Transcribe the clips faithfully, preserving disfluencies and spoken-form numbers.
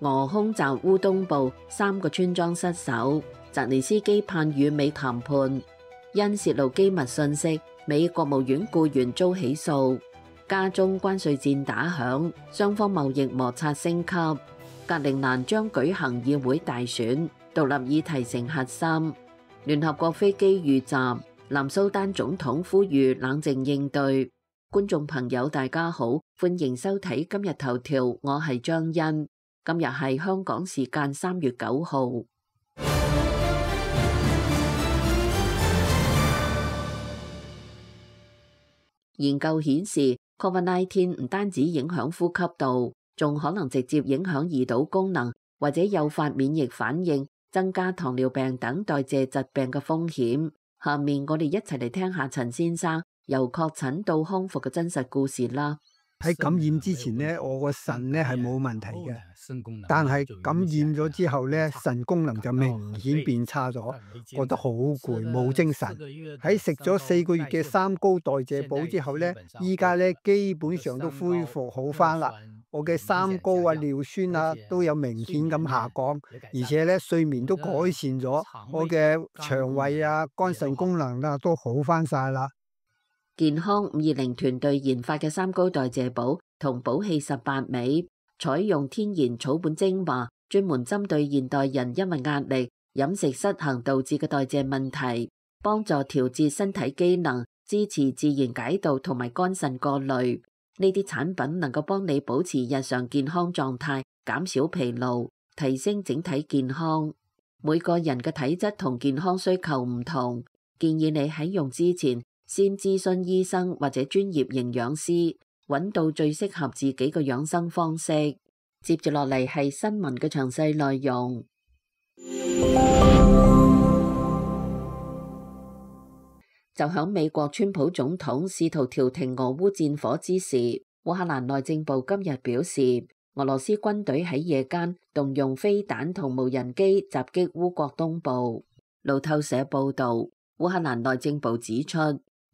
俄空襲烏東部三個村莊失守，澤連斯基盼與美談判，因泄露機密信息，美國務院僱員遭起訴。加中關稅戰打響，雙方貿易摩擦升級。格陵蘭將舉行議會大選，獨立議題成核心。聯合國飛機遇襲，南蘇丹總統呼籲冷靜應對。觀眾朋友大家好，歡迎收睇今日頭條，我係張欣。今日係香港時間三月九號。研究顯示 ，Covid 十九 唔單止影響呼吸道，仲可能直接影響胰島功能，或者誘發免疫反應，增加糖尿病等代謝疾病嘅風險。下面我哋一齊嚟聽下陳先生由確診到康復嘅真實故事啦。喺感染之前咧，我個腎咧係冇問題嘅，但係感染咗之後咧，腎功能就明顯變差咗，覺得好攰，冇精神。喺食咗四個月嘅三高代謝補之後咧，依家咧基本上都恢復好返啦。我嘅三高啊、尿酸啊都有明顯咁下降，而且咧睡眠都改善咗，我嘅腸胃啊、肝腎功能啊都好返晒啦。健康五二零團隊研發嘅三高代謝補同補氣十八味，採用天然草本精華，專門針對現代人因為壓力、飲食失衡導致嘅代謝問題，幫助調節身體機能，支持自然解毒同埋肝腎過濾。呢啲產品能夠幫你保持日常健康狀態，減少疲勞，提升整體健康。每個人嘅體質同健康需求唔同，建議你喺用之前，先諮詢醫生或者專業營養師，揾到最適合自己嘅養生方式。接住落嚟係新聞嘅詳細內容。就響美國川普總統試圖調停俄烏戰火之時，烏克蘭內政部今日表示，俄羅斯軍隊喺夜間動用飛彈同無人機襲擊烏國東部。路透社報道，烏克蘭內政部指出，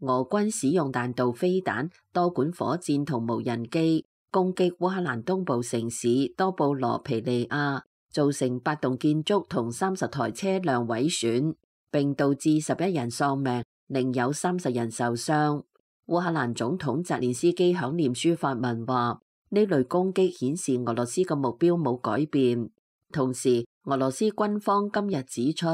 俄軍使用彈道飛彈、多管火箭同無人機攻擊烏克蘭東部城市多布羅皮利亞，造成八棟建築同三十台車輛毀損，並導致十一人喪命，另有三十人受傷。烏克蘭總統澤連斯基響臉書發文話，呢類攻擊顯示俄羅斯嘅目標冇改變。同時，俄羅斯軍方今日指出，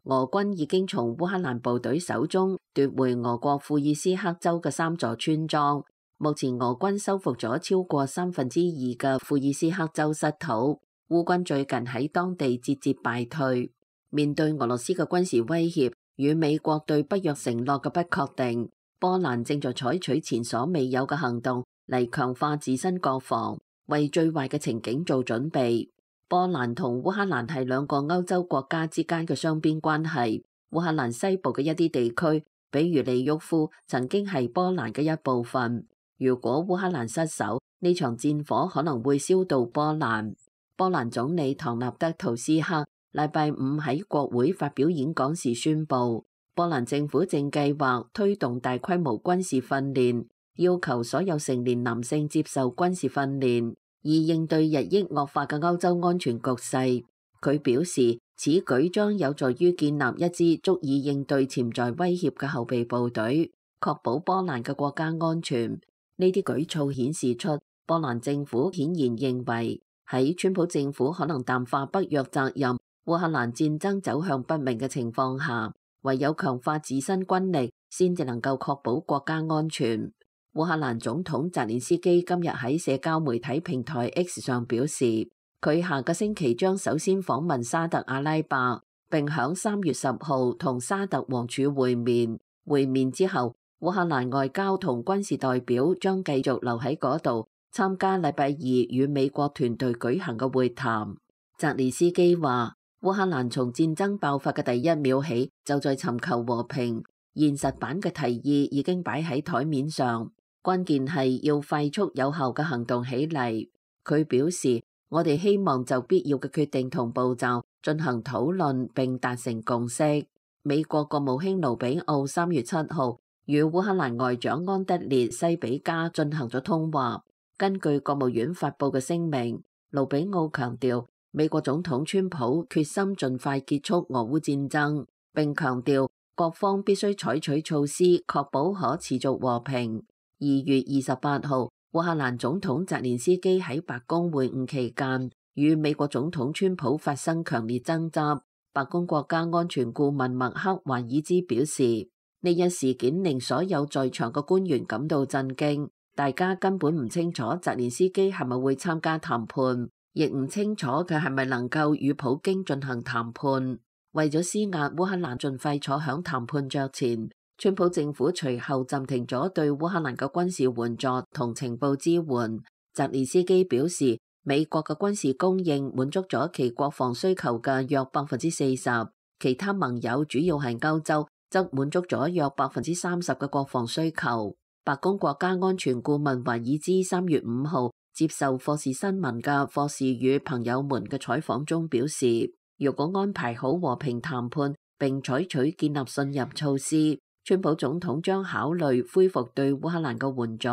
俄軍已經從烏克蘭部隊手中奪回俄國庫爾斯克州嘅三座村莊。目前俄軍收復咗超過三分之二嘅庫爾斯克州失土。烏軍最近喺當地節節敗退。面對俄羅斯嘅軍事威脅與美國對北約承諾嘅不確定，波蘭正在採取前所未有嘅行動嚟強化自身國防，為最壞嘅情景做準備。波蘭同烏克蘭係兩個歐洲國家之間嘅雙邊關係。烏克蘭西部嘅一啲地區，比如利沃夫，曾經係波蘭嘅一部分。如果烏克蘭失守，呢場戰火可能會燒到波蘭。波蘭總理唐納德圖斯克禮拜五喺國會發表演講時宣布，波蘭政府正計劃推動大規模軍事訓練，要求所有成年男性接受軍事訓練，以應對日益惡化嘅歐洲安全局勢。佢表示，此舉將有助於建立一支足以應對潛在威脅嘅後備部隊，確保波蘭嘅國家安全。呢啲舉措顯示出，波蘭政府顯然認為喺川普政府可能淡化北約責任、烏克蘭戰爭走向不明嘅情況下，唯有強化自身軍力，先至能夠確保國家安全。烏克蘭總統澤連斯基今日喺社交媒體平台 X 上表示，佢下個星期將首先訪問沙特阿拉伯，並響三月十號同沙特王儲會面。會面之後，烏克蘭外交同軍事代表將繼續留喺嗰度參加禮拜二與美國團隊舉行嘅會談。澤連斯基話，烏克蘭從戰爭爆發嘅第一秒起就在尋求和平，現實版嘅提議已經擺喺台面上，關鍵係要快速有效嘅行動起嚟。佢表示，我哋希望就必要嘅決定同步驟進行討論並達成共識。美國國務卿盧比奧三月七號與烏克蘭外長安德烈西比加進行咗通話。根據國務院發佈嘅聲明，盧比奧強調，美國總統川普決心盡快結束俄烏戰爭，並強調各方必須採取措施確保可持續和平。二月二十八號，烏克蘭總統澤連斯基喺白宮會晤期間，與美國總統川普發生強烈爭執。白宮國家安全顧問麥克華爾茲表示，呢一事件令所有在場嘅官員感到震驚，大家根本唔清楚澤連斯基係咪會參加談判，亦唔清楚佢係咪能夠與普京進行談判。為咗施壓烏克蘭盡快坐響談判桌前，川普政府隨後暫停咗對烏克蘭嘅軍事援助同情報支援。澤連斯基表示，美國嘅軍事供應滿足咗其國防需求嘅約百分之四十，其他盟友主要係歐洲，則滿足咗約百分之三十嘅國防需求。白宮國家安全顧問華爾茲三月五號接受霍士新聞嘅霍士與朋友們嘅採訪中表示，如果安排好和平談判並採取建立信任措施，川普總統將考慮恢復對烏克蘭嘅援助。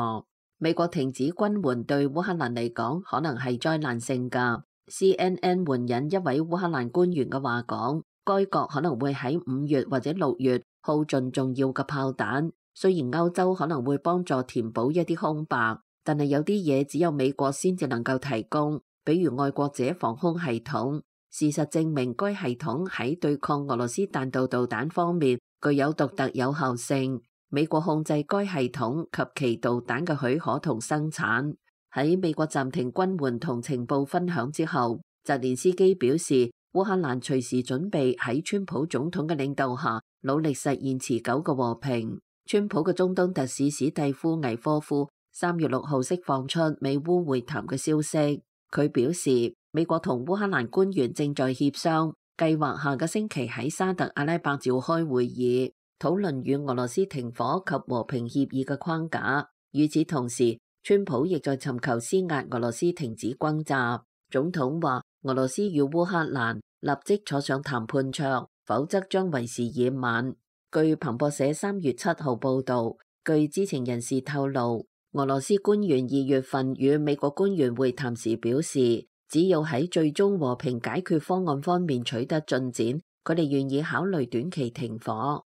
美國停止軍援對烏克蘭嚟講可能係災難性㗎。C N N 援引一位烏克蘭官員嘅話講，該國可能會喺五月或者六月耗盡重要嘅炮彈。雖然歐洲可能會幫助填補一啲空白，但係有啲嘢只有美國先至能夠提供，比如愛國者防空系統。事實證明，該系統喺對抗俄羅斯彈道導彈方面具有獨特有效性。美國控制該系統及其導彈嘅許可同生產。喺美國暫停軍援同情報分享之後，澤連斯基表示，烏克蘭隨時準備喺川普總統嘅領導下努力實現持久嘅和平。川普嘅中東特使史蒂夫·魏科夫三月六號釋放出美烏會談嘅消息，佢表示，美國同烏克蘭官員正在協商，計劃下個星期喺沙特阿拉伯召開會議，討論與俄羅斯停火及和平協議嘅框架。與此同時，川普亦在尋求施壓俄羅斯停止轟炸。總統話，俄羅斯與烏克蘭立即坐上談判桌，否則將為時已晚。據彭博社三月七號報導，據知情人士透露，俄羅斯官員二月份與美國官員會談時表示，只要喺最終和平解決方案方面取得進展，佢哋願意考慮短期停火。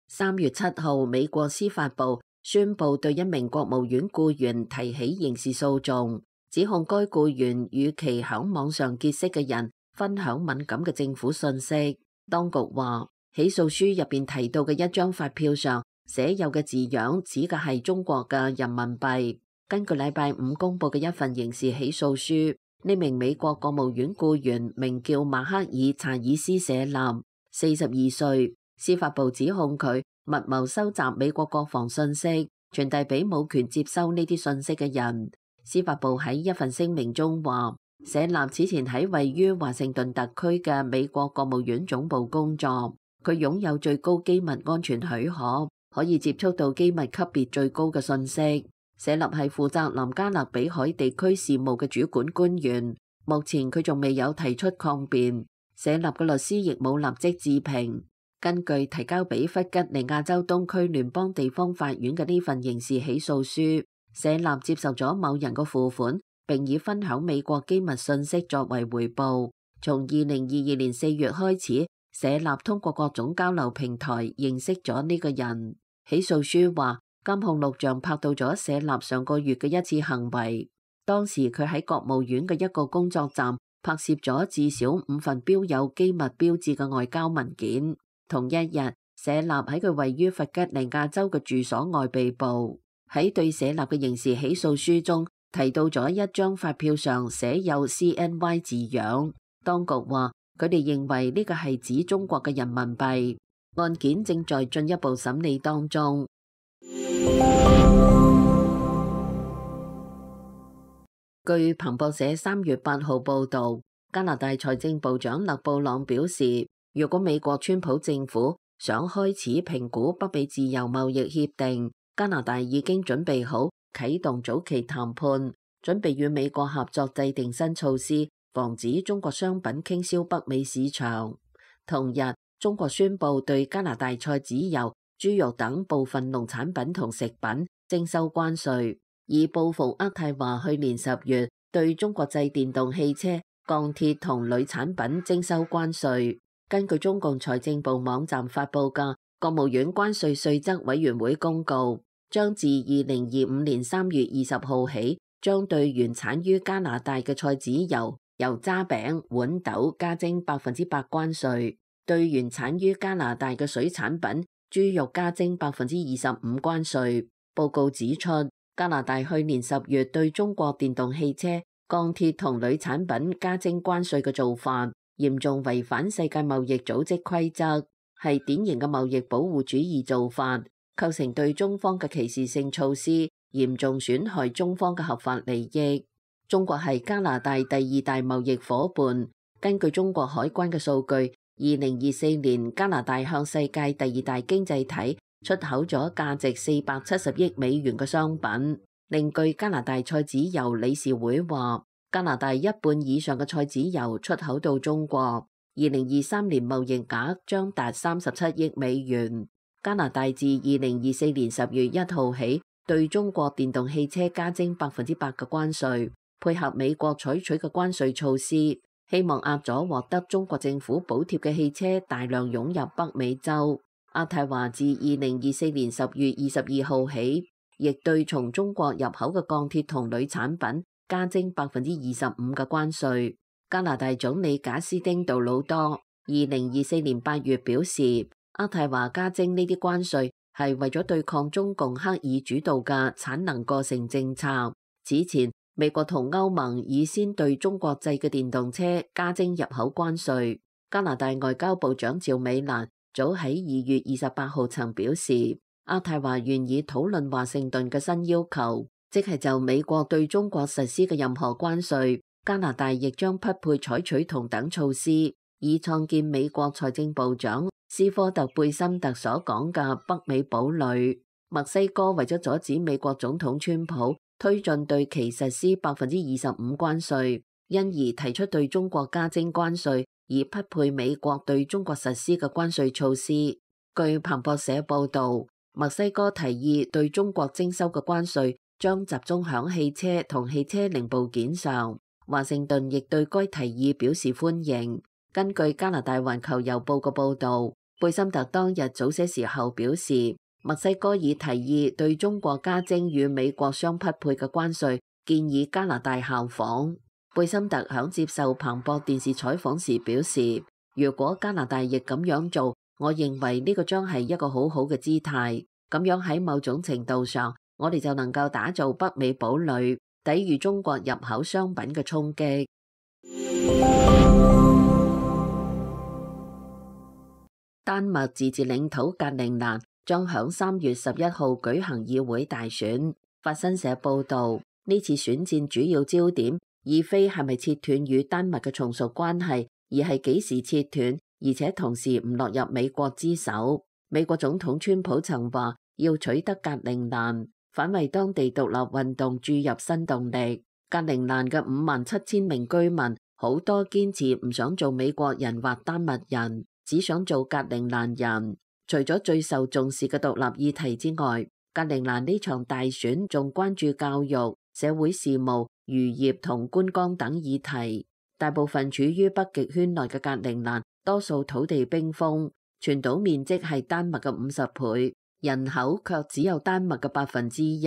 三月七號，美國司法部宣布對一名國務院僱員提起刑事訴訟，指控該僱員與其響網上結識嘅人分享敏感嘅政府信息。當局話，起訴書入邊提到嘅一張發票上寫有嘅字樣指嘅係中國嘅人民幣。根據禮拜五公布嘅一份刑事起訴書，呢名美國國務院僱員名叫馬克爾查爾斯舍納，四十二歲。司法部指控佢密謀收集美國國防信息，傳遞俾冇權接收呢啲信息嘅人。司法部喺一份聲明中話，舍納此前喺位於華盛頓特區嘅美國國務院總部工作，佢擁有最高機密安全許可，可以接觸到機密級別最高嘅信息。舍納係負責南加勒比海地區事務嘅主管官員，目前佢仲未有提出抗辯。舍納嘅律師亦冇立即置評。根據提交俾弗吉尼亞州東區聯邦地方法院嘅呢份刑事起訴書，舍納接受咗某人嘅付款，並以分享美國機密信息作為回報。從二零二二年四月開始，舍納通過各種交流平台認識咗呢個人。起訴書話，監控錄像拍到咗舍納上個月嘅一次行為，當時佢喺國務院嘅一個工作站拍攝咗至少五份標有機密標誌嘅外交文件。同一日，舍納喺佢位於弗吉尼亞州嘅住所外被捕。喺對舍納嘅刑事起訴書中提到咗一張發票上寫有 C N Y 字樣。當局話佢哋認為呢個係指中國嘅人民幣。案件正在進一步審理當中。據彭博社三月八號報導，加拿大財政部長勒布朗表示，如果美國川普政府想開始評估北美自由貿易協定，加拿大已經準備好啟動早期談判，準備與美國合作制定新措施，防止中國商品傾銷北美市場。同日，中國宣布對加拿大菜籽油、豬肉等部分農產品同食品徵收關稅。以報復渥太華去年十月對中國製電動汽車、鋼鐵同鋁產品徵收關稅。根據中共財政部網站發佈嘅國務院關稅稅則委員會公告，將自二零二五年三月二十號起，將對原產於加拿大嘅菜籽油、油渣餅、豌豆加徵百分之百關稅；對原產於加拿大嘅水產品、豬肉加徵百分之二十五關稅。報告指出，加拿大去年十月對中國電動汽車、鋼鐵同鋁產品加徵關稅嘅做法，嚴重違反世界貿易組織規則，係典型嘅貿易保護主義做法，構成對中方嘅歧視性措施，嚴重損害中方嘅合法利益。中國係加拿大第二大貿易夥伴。根據中國海關嘅數據，二零二四年加拿大向世界第二大經濟體出口咗價值四百七十億美元嘅商品。另據加拿大菜籽油理事會話，加拿大一半以上嘅菜籽油出口到中國，二零二三年貿易額將達三十七億美元。加拿大自二零二四年十月一號起對中國電動汽車加徵百分之百嘅關稅，配合美國採取嘅關稅措施，希望壓咗獲得中國政府補貼嘅汽車大量湧入北美洲。渥太華自二零二四年十月二十二號起，亦對從中國入口嘅鋼鐵同鋁產品加徵百分之二十五嘅關稅。加拿大總理賈斯汀杜魯多二零二四年八月表示，渥太華加徵呢啲關稅係為咗對抗中共刻意主導嘅產能過剩政策。此前，美國同歐盟已先對中國製嘅電動車加徵入口關稅。加拿大外交部長趙美蘭早喺二月二十八號曾表示，渥太華願意討論華盛頓嘅新要求，即係就美國對中國實施嘅任何關稅，加拿大亦將匹配採取同等措施，以創建美國財政部長斯科特貝森特所講嘅北美堡壘。墨西哥為咗阻止美國總統川普推進對其實施百分之二十五關稅，因而提出對中國加徵關稅，以匹配美國對中國實施嘅關稅措施。據彭博社報導，墨西哥提議對中國徵收嘅關稅將集中響汽車同汽車零部件上。華盛頓亦對該提議表示歡迎。根據加拿大環球郵報嘅報導，貝森特當日早些時候表示，墨西哥已提議對中國加徵與美國相匹配嘅關稅，建議加拿大效仿。貝森特響接受彭博電視採訪時表示，如果加拿大亦咁樣做，我認為呢個將係一個好好嘅姿態。咁樣喺某種程度上，我哋就能夠打造北美堡壘，抵禦中國入口商品嘅衝擊。丹麥自治領土格陵蘭將響三月十一號舉行議會大選。法新社報導，呢次選戰主要焦點，而非係咪切斷與丹麥嘅從屬關係，而係幾時切斷，而且同時唔落入美國之手。美國總統川普曾話要取得格陵蘭，反為當地獨立運動注入新動力。格陵蘭嘅五萬七千名居民，好多堅持唔想做美國人或丹麥人，只想做格陵蘭人。除咗最受重視嘅獨立議題之外，格陵蘭呢場大選仲關注教育、社會事務、漁業同觀光等議題。大部分處於北極圈內嘅格陵蘭，多數土地冰封，全島面積係丹麥嘅五十倍，人口卻只有丹麥嘅百分之一。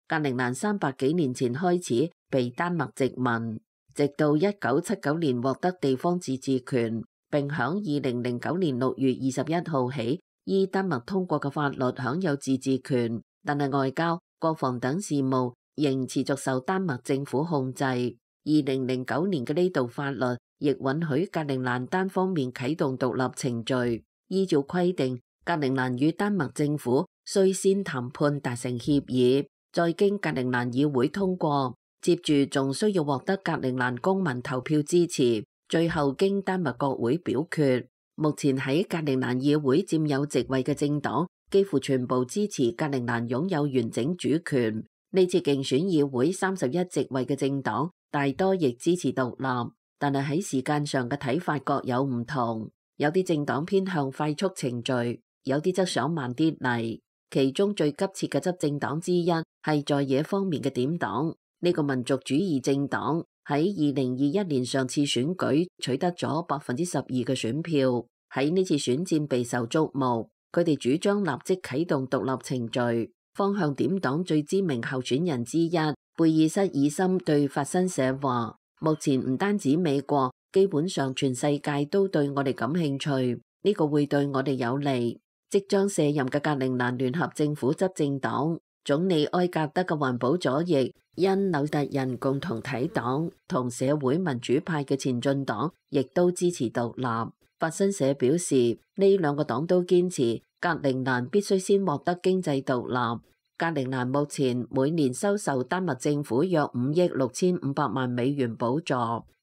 格陵蘭三百幾年前開始被丹麥殖民，直到一九七九年獲得地方自治權，並響二零零九年六月二十一號起，依丹麥通過嘅法律享有自治權，但係外交、國防等事務仍持續受丹麥政府控制。二零零九年嘅呢道法律亦允許格陵蘭單方面啟動獨立程序。依照規定，格陵蘭與丹麥政府須先談判達成協議，再經格陵蘭議會通過，接住仲需要獲得格陵蘭公民投票支持，最後經丹麥國會表決。目前喺格陵蘭議會佔有席位嘅政黨幾乎全部支持格陵蘭擁有完整主權。呢次競選議會三十一席位嘅政黨大多亦支持獨立，但係喺時間上嘅睇法各有唔同。有啲政黨偏向快速程序，有啲則想慢啲嚟。其中最急切嘅執政黨之一係在野方面嘅點黨。呢個民族主義政黨喺二零二一年上次選舉取得咗百分之十二嘅選票，喺呢次選戰備受矚目。佢哋主張立即啟動獨立程序。方向點黨最知名候選人之一貝爾瑟爾森對法新社話：目前唔單止美國，基本上全世界都對我哋感興趣，呢個會對我哋有利。即將卸任嘅格陵蘭聯合政府執政黨總理埃格德嘅環保左翼因紐特人共同體黨同社會民主派嘅前進黨亦都支持獨立。法新社表示，呢兩個黨都堅持格陵蘭必須先獲得經濟獨立。格陵蘭目前每年收受丹麥政府約五億六千五百萬美元補助，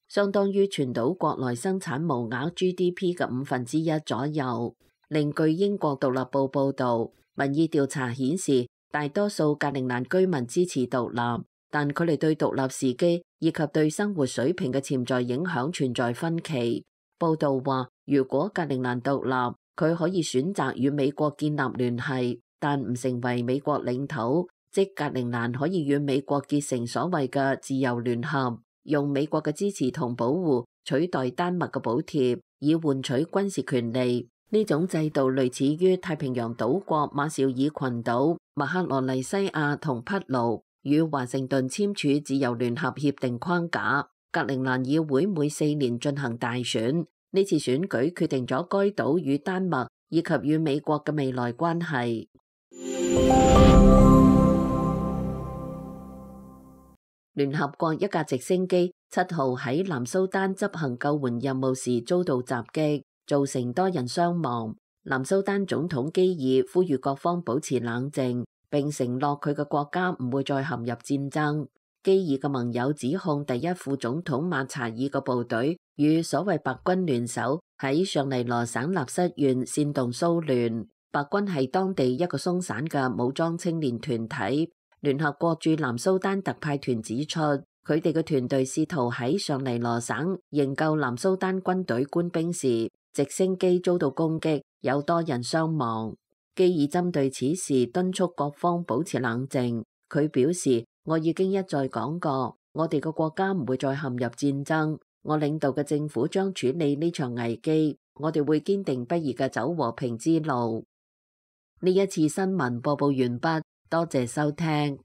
相當於全島國內生產毛額 G D P 嘅五分之一左右。另據英國獨立報報導，民意調查顯示，大多數格陵蘭居民支持獨立，但佢哋對獨立時機以及對生活水平嘅潛在影響存在分歧。報導話，如果格陵蘭獨立，佢可以選擇與美國建立聯繫，但唔成為美國領土，即格陵蘭可以與美國結成所謂嘅自由聯合，用美國嘅支持同保護取代丹麥嘅補貼，以換取軍事權利。呢種制度類似於太平洋島國馬紹爾群島、麥克羅尼西亞同匹盧與華盛頓簽署自由聯合協定框架。格陵蘭議會每四年進行大選，呢次選舉決定咗該島與丹麥以及與美國嘅未來關係。聯合國一架直升機七號喺南蘇丹執行救援任務時遭到襲擊，造成多人傷亡。南蘇丹總統基爾呼籲各方保持冷靜，並承諾佢嘅國家唔會再陷入戰爭。基爾嘅盟友指控第一副總統馬查爾嘅部隊與所謂白軍聯手喺尚尼羅省納瑟縣煽動騷亂。白軍係當地一個鬆散嘅武裝青年團體。聯合國駐南蘇丹特派團指出，佢哋嘅團隊試圖喺尚尼羅省營救南蘇丹軍隊官兵時，直升機遭到攻擊，有多人傷亡。基爾針對此事敦促各方保持冷靜。佢表示，我已經一再講過，我哋個國家唔會再陷入戰爭。我領導嘅政府將處理呢場危機，我哋會堅定不移嘅走和平之路。呢一次新聞播報完畢，多謝收聽。